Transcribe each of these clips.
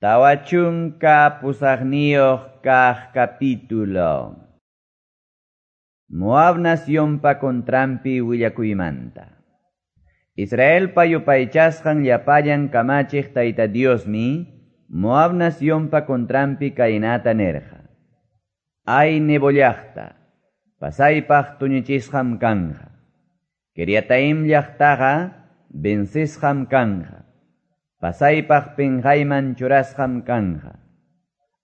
48 kaq capítulo. Moab nacionpa contranpi willakuymanta. Israelpa yupaychasqan llapallan kamachiq Tayta Diosmi Moab nacionpa contranpi kaynata nirqa. Ay Nebo llaqta, pasaypaq tuñichisqam kanja. Kiriataim llaqtaqa vencisqam kanja. Pasaypaq pinqayman churasqam kanja.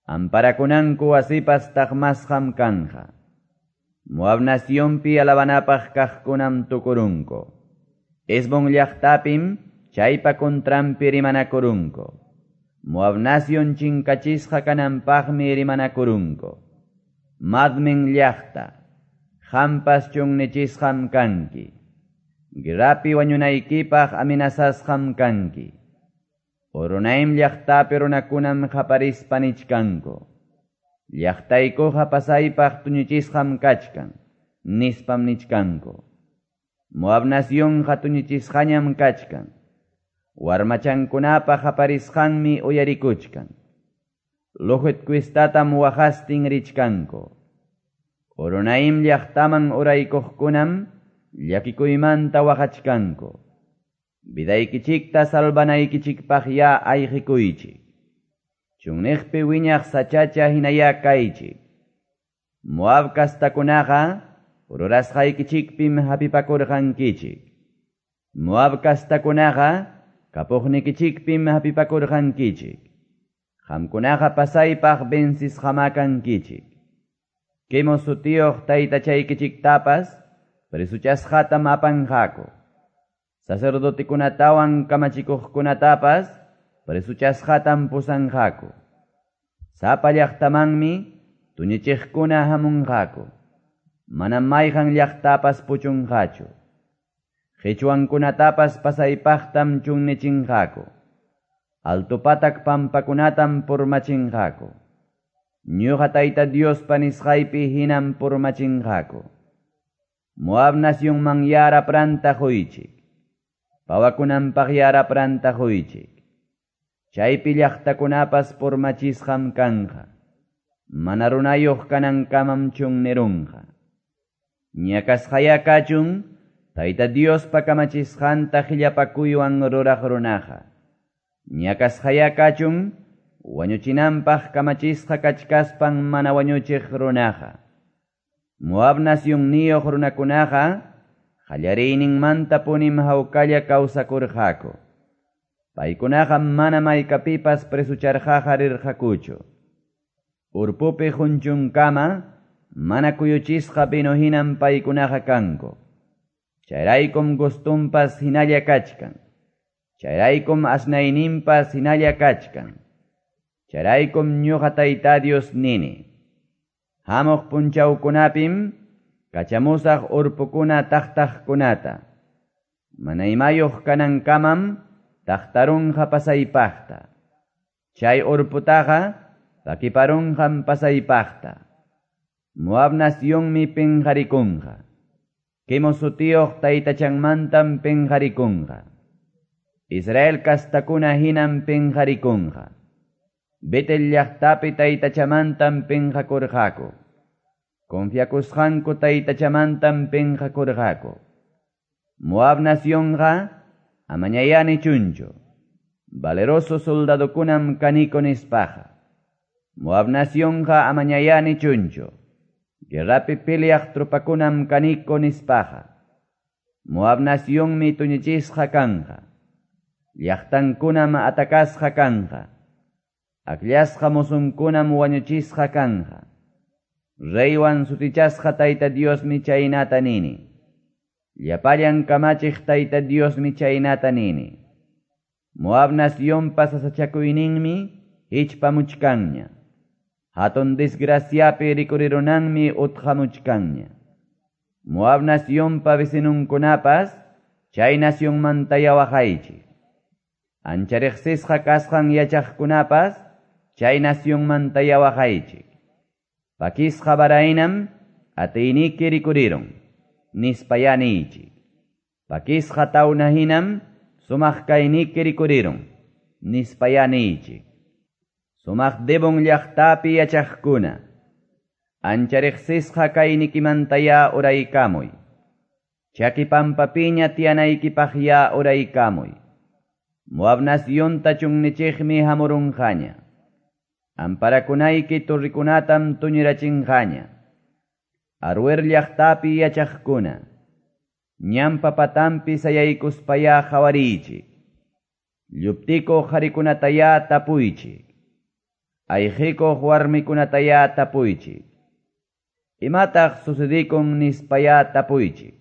Amparakunanku wasipas taqmasqam kanja. Moab nacionpi alabanapaq kaqkunam tukurunku. Hesbón llaqtapim chaypa contranpi rimanakurunku. Moab nacion chinkachisqa kananpaqmi rimanakurunku. Madmen llaqta, qampas chunnichisqam kanki. Guerrapi wañunaykipaq amenazasqam kanki. Horonaim llaqtapi runakunam qaparispa nichkanku. Llaqtaykuqa pasaypaq tuñichisqam kachkan, nispam nichkanku. Moab nacionqa tuñichisqañam kachkan. Warmachankunapa qaparisqanmi uyarikuchkan. Luhit cuistatam waqastin richkanku. Horonaim llaqtaman uraykuqkunam llakikuymanta waqachkanku. Vidaykichikta salvanaykichikpaq ya ayqikuychik. Chunniqpi wiñaq sachacha hinaya kaychik. Moab kastakunaqa rurasqaykichikpim hapipakurqankichik. Moab kastakunaqa kapuqnikichikpim hapipakurqankichik. Qamkunaqa pasaypaq vencisqama kankichik. Quemos sutiyuq taytachaykichiktapas presuchasqatam apanqaku. Sacerdotikunatawan kamachikuqkunatapas presuchasqatam pusanqaku. Sapa llaqtamanmi tuñichiqkuna hamunqaku. Manam mayqan llaqtapas puchunqachu. Qichwankunatapas pasaypaqtam chunnichinqaku. Altupatak pampakunatam purmachinqaku. Ñuqa Tayta Diospa nisqaypi hinam purmachinqaku. Moab nacionman yara pranta quychik. Pawakunanpaq yara pranta quychik. Chaypi llaqtakunapas purmachisqam kanja. Mana runayuq kanankamam chunnirunqa. Ñakasqaya kachun Tayta Diospa kamachisqanta qillapakuywan ruraq runaqa. Ñakasqaya kachun wañuchinanpaq kamachisqa kachkaspan mana wañuchiq runaqa. Moab nacionniyuq runakunaqa qallariyninmanta punim hawkalla kawsakurqaku. Paykunaqa mana maykapipas presucharqaqa rirqakuchu. Urpupi junchunkama mana kuyuchisqa vino hinam paykunaqa kanku. Chayraykum gustunpas hinalla kachkan. Chayraykum asnayninpas hinalla kachkan. Chayraykum ñuqa Tayta Dios nini. Hamuq punchawkunapim kachamusaq urpukuna taqtaqkunata. Mana imayuq kanankamam taqtarunqa pasaypaqta. Chay urputaqa pakiparunqam pasaypaqta. Moab nacionmi pinqarikunqa. Quemos sutiyuq taytachanmantam pinqarikunqa. Israel kastakuna hinam pinqarikunqa. Betel llaqtapi taytachamantam pinqakurqaku. Confiakusqanku taytachamantam pinqakurqaku. Moab nacionqa amañayani chunchu. Valeroso soldadokunam kaniko nispaqa. Moab nacionqa amañayani chunchu. Guerrapi peleaq tropakunam kaniko nispaqa. Moab nacionmi tuñichisqa kanja. Llaqtankunam atakasqa kanja. Akllasqa mosunkunam wañuchisqa kanja. Reywan sutichasqa Tayta Diosmi chaynata nini. Llapallan kamachiq Tayta Diosmi chaynata nini. Moab nacionpa sasachakuyninmi hichpamuchkanña. Hatun desgraciapi rikurirunanmi utqamuchkanña. Moab nacionpa vecinunkunapas chay nacionmanta waqaychik. Ancha riqsisqa kasqan yachaqkunapas chay nacionmanta waqaychik. Pakisqa varaynam atiyniki rikurirun, nispaya niychik. Pakisqa tawna hinam sumaq kayniki rikurirun, nispaya niychik. Sumaq Dibon llaqtapi yachaqkuna, ancha riqsisqa kaynikimantayá uraykamuy. Chaki pampapiña tiyanaykipaqyá uraykamuy. Moab nacionta chunnichiqmi hamurunqaña. Amparakunayki torrikunatam tuñirachinqaña. Aroer llaqtapi yachaqkuna, ñanpa patanpi sayaykuspayá qawariychik. Lluptikuq qharikunatayá tapuychik. Ayqikuq warmikunatayá tapuychik. Imataq sucedikun nispayá tapuychik.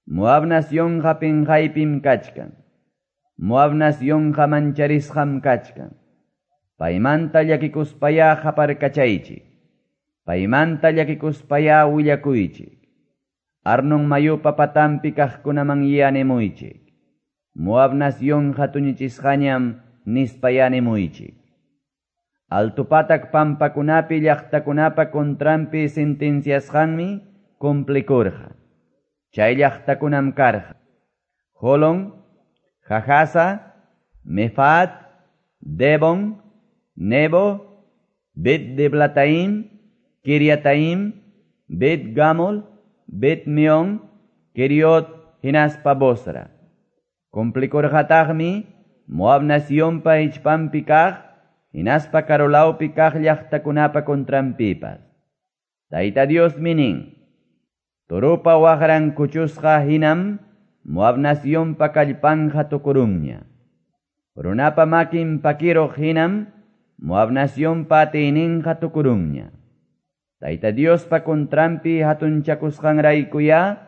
Moab nacionqa pinqaypim kachkan. Moab nacionqa mancharisqam kachkan. Paymanta llakikuspayá qaparkachaychik. Paymanta llakikuspayá willakuychik. Arnon mayupa patanpi kaqkunaman nimuychik. Moab nacionqa tuñichisqañam nispayá nimuychik. Altupatak pampakunapi llaqtakunapa contranpi sentenciasqanmi cumplikurqa. Chay llaqtakunam karqa: Holon, Jahasa, Mefaat, Debon, Nebo, Bet Diblataim, Kiriataim, Bet Gamol, Bet Meon, Keriot, hinaspa Bosra. Cumplikurqataqmi Moab nacionpa hichpanpi kaq, hinaspa karulawpi kaq llaqtakunapa contranpipas. Tayta Diosmi nin: Toropa waqran kuchusqa hinam Moab nacionpa kallpanja tukurunña. Runapa makin pakiruq hinam Moab nacionpa atiyninqa tukurunña. Tayta Diospa contranpi hatunchakusqanraykuyá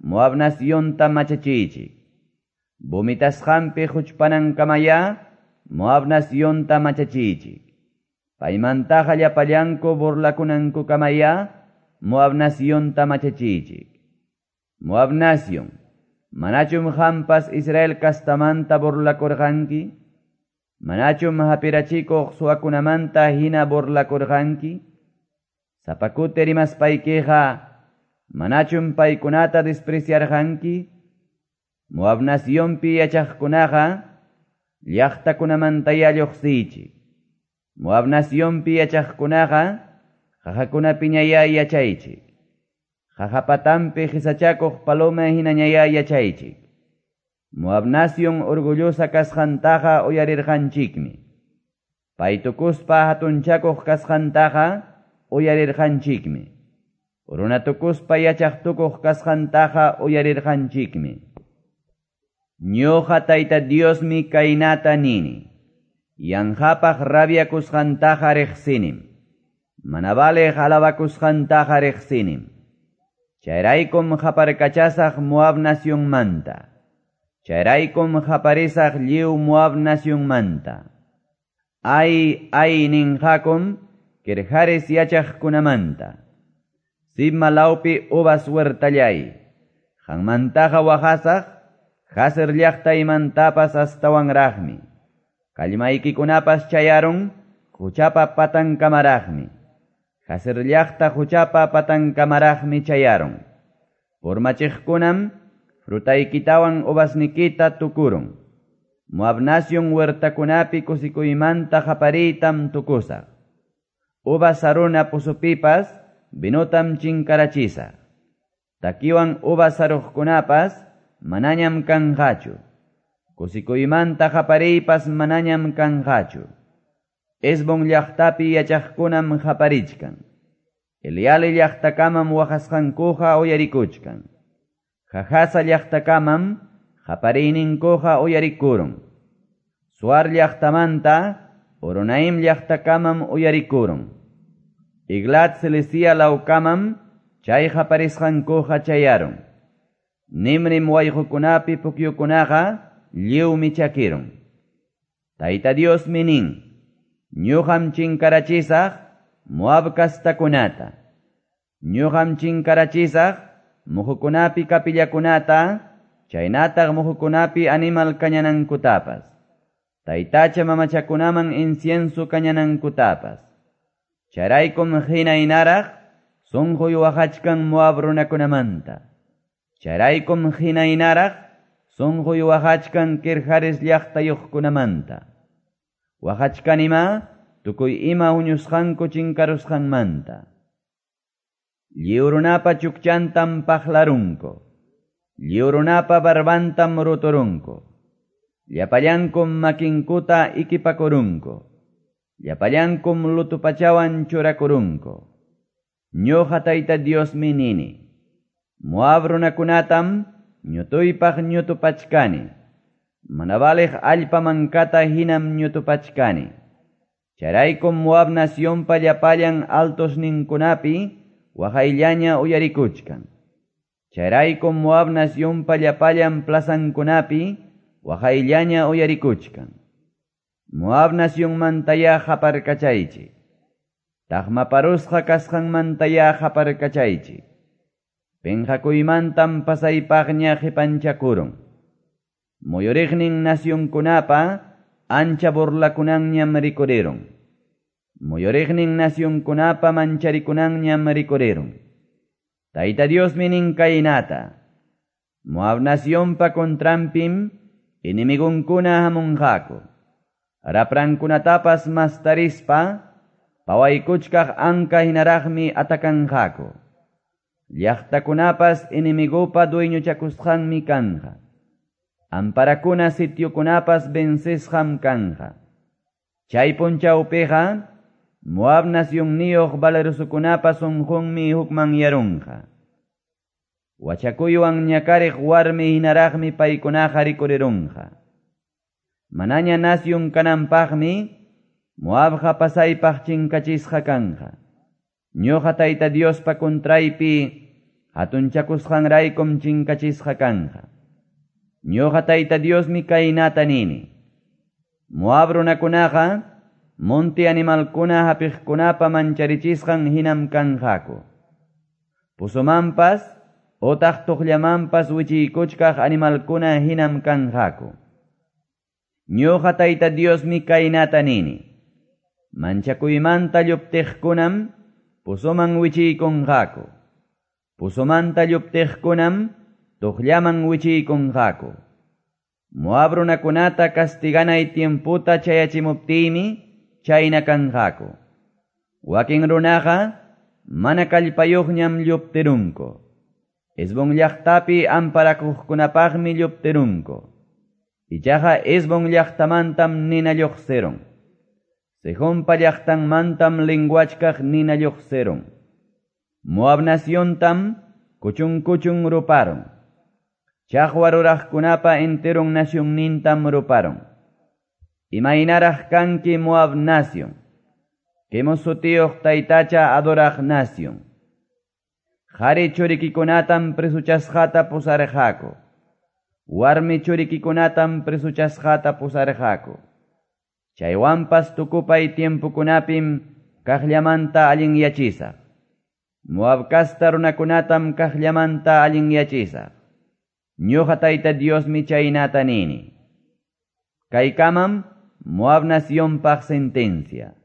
Moab nacionta machachiychik. Vomitasqanpi huchpanankamayá Moab nacionta machachiychik. Paymantaqa llapallanku burlakunankukamayá Moab nacionta machachiychik. Moab nacion, manachum qampas Israel kastamanta burlakurqanki? Manachum hapirachikuq suwakunamanta hina burlakurqanki? Sapakuti rimaspaykiqa, manachum paykunata despreciarqanki? Moab nacionpi yachaqkunaqa llaqtakunamantayá lluqsiychik. Moab nacionpi yachaqkunaqa qaqakunapiñayá yachaychik. Qaqapatanpi qisachakuq paloma hinañayá yachaychik. Moab nacion orgullosa kasqantaqa uyarirqanchikmi. Paytukuspa hatunchakuq kasqantaqa uyarirqanchikmi. Runatukuspa yachaqtukuq kasqantaqa uyarirqanchikmi. Ñuqa Tayta Diosmi kaynata nini. Yanqapaq rabiakusqantaqa riqsinim. Mana valeq alabakusqantaqa riqsinim. Chayraykum qaparkachasaq Moab nacionmanta. Chayraykum qaparisaq lliw Moab nacionmanta. Ay, ay ninqakum Kirhares yachaqkunamanta. Sibma lawpi uvas huertallay. Qanmantaqa waqasaq Jazer llaqtaymantapas astawanraqmi. Kallmaykikunapas chayarun huchapa patankamaraqmi. Jazer llaqta huchapa patankamaraqmi chayarun. Purmachiqkunam frutaykitawan uvasnikita tukurun. Moab nacion huertakunapi kusikuymanta qapariytam tukusaq. Uvas saruna pusupipas vinotam chinkarachisaq. Takiwan uvas saruqkunapas manañam kanqachu. Kusikuymanta qapariypas manañam kanqachu. Hesbon llaqtapi yachaqkunam qaparichkan. Eleale llaqtakamam waqasqankuqa uyarikuchkan. Jahasa llaqtakamam qapariyninkuqa uyarikurun. Suar llaqtamanta Horonaim llaqtakamam uyarikurun. Eglat Selisia lawkamam chay qaparisqankuqa chayarun. Nimrim wayqukunapi pukyukunaqa lliwmi chakirun. Tayta Diosmi nin: Ñuqam chinkarachisaq Moab kastakunata. Ñuqam chinkarachisaq muhukunapi kapillakunata, chaynataq muhukunapi animal kañanankutapas. Taytacha mamachakunaman incienso kañanankutapas. Chayraykum hinaynaraq sunquy waqachkan Moab runakunamanta. Chayraykum hinaynaraq sunquy waqachkan Kirhares llaqtayuqkunamanta. Waqachkanima tukuy ima huñusqanku chinkarusqanmanta. Lliw runapa chukchantam paqlarunku. Lliw runapa barbantam ruturunku. Llapallankum makinkuta ikipakurunku. Llapallankum lutupachawan churakurunku. Ñuqa Tayta Diosmi nini. Moab runakunatam ñutuypaq ñutupachkani. Mana valiq allpa mankata hinam ñutupachkani. Chayraykum Moab nacionpa llapallan altosninkunapi waqayllaña uyarikuchkan. Chayraykum Moab nacionpa llapallan plazankunapi waqayllaña uyarikuchkan. Moab nacionmantaya qaparkachaychik. Taqmaparusqa kasqanmantaya qaparkachaychik. Penqakuymantam pasaypaqña qipanchakurun. Muyuriqnin nacionkunapa ancha burlakunanñam rikurirun. Muyuriqnin nacionkunapa mancharikunanñam rikurirun. Tayta Diosmi nin kaynata. Moab nacionpa contranpim enemigunkuna hamunqaku. Raprankunatapas mastarispa pawaykuchkaq anka hinaraqmi atakanqaku. Llaqtakunapas enemigupa dueñochakusqanmi kanqa. Amparakuna sitiokunapas vencesqam kanqa. Chay punchawpiqa Moab nacionniyuq valerosokunapa sunqunmi hukmanyarunqa. Wachakuywan ñakariq warmi hinaraqmi paykunaqa rikurirunqa. Manaña nacion kananpaqmi Moabqa pasaypaq chinkachisqa kanqa. Ñuqa Tayta Diospa contraypi hatunchakusqanraykum chinkachisqa kanqa. Ñuqa Tayta Diosmi kaynata nini. Moab runakunaqa monte animalkuna hapiqkunapa mancharichisqan hinam kanqaku. Pusumanpas otaq tuqllamanpas wichiykuchkaq animalkuna hinam kanqaku. Ñuqa Tayta Diosmi kaynata nini. Manchakuymanta lluptiqkunam pusuman wichiykunqaku. Pusumanta lluptiqkunam tuqllaman wichiykunqaku. Moab runakunata castiganay tiemputa chayachimuptiymi chayna kanqaku. Wakin runaqa mana kallpayuqñam lluptirunku. Hesbón llaqtapi amparakuqkunapaqmi lluptirunku. Ichaqa Hesbón llaqtamantam nina lluqsirun. Sehonpa llaqtanmantam linguachkaq nina lluqsirun. Moab naciontam kuchun kuchun ruparun. Chaqwa ruraqkunapa enteron nacionnintam ruparun. Imaynaraq kanki Moab nacion. Kemos sutiyuq taytacha adoraq nacion. Qhari churikikunatam presuchasqata pusarqaku. Warmi churikikunatam presuchasqata pusarqaku. Chaywanpas tukupay tiempokunapim kaqllamanta allinyachisaq. Moab kasta runakunatam kaqllamanta allinyachisaq. Ñuqa Tayta Diosmi chaynata nini. Kaykamam Moab nacionpaq sentencia.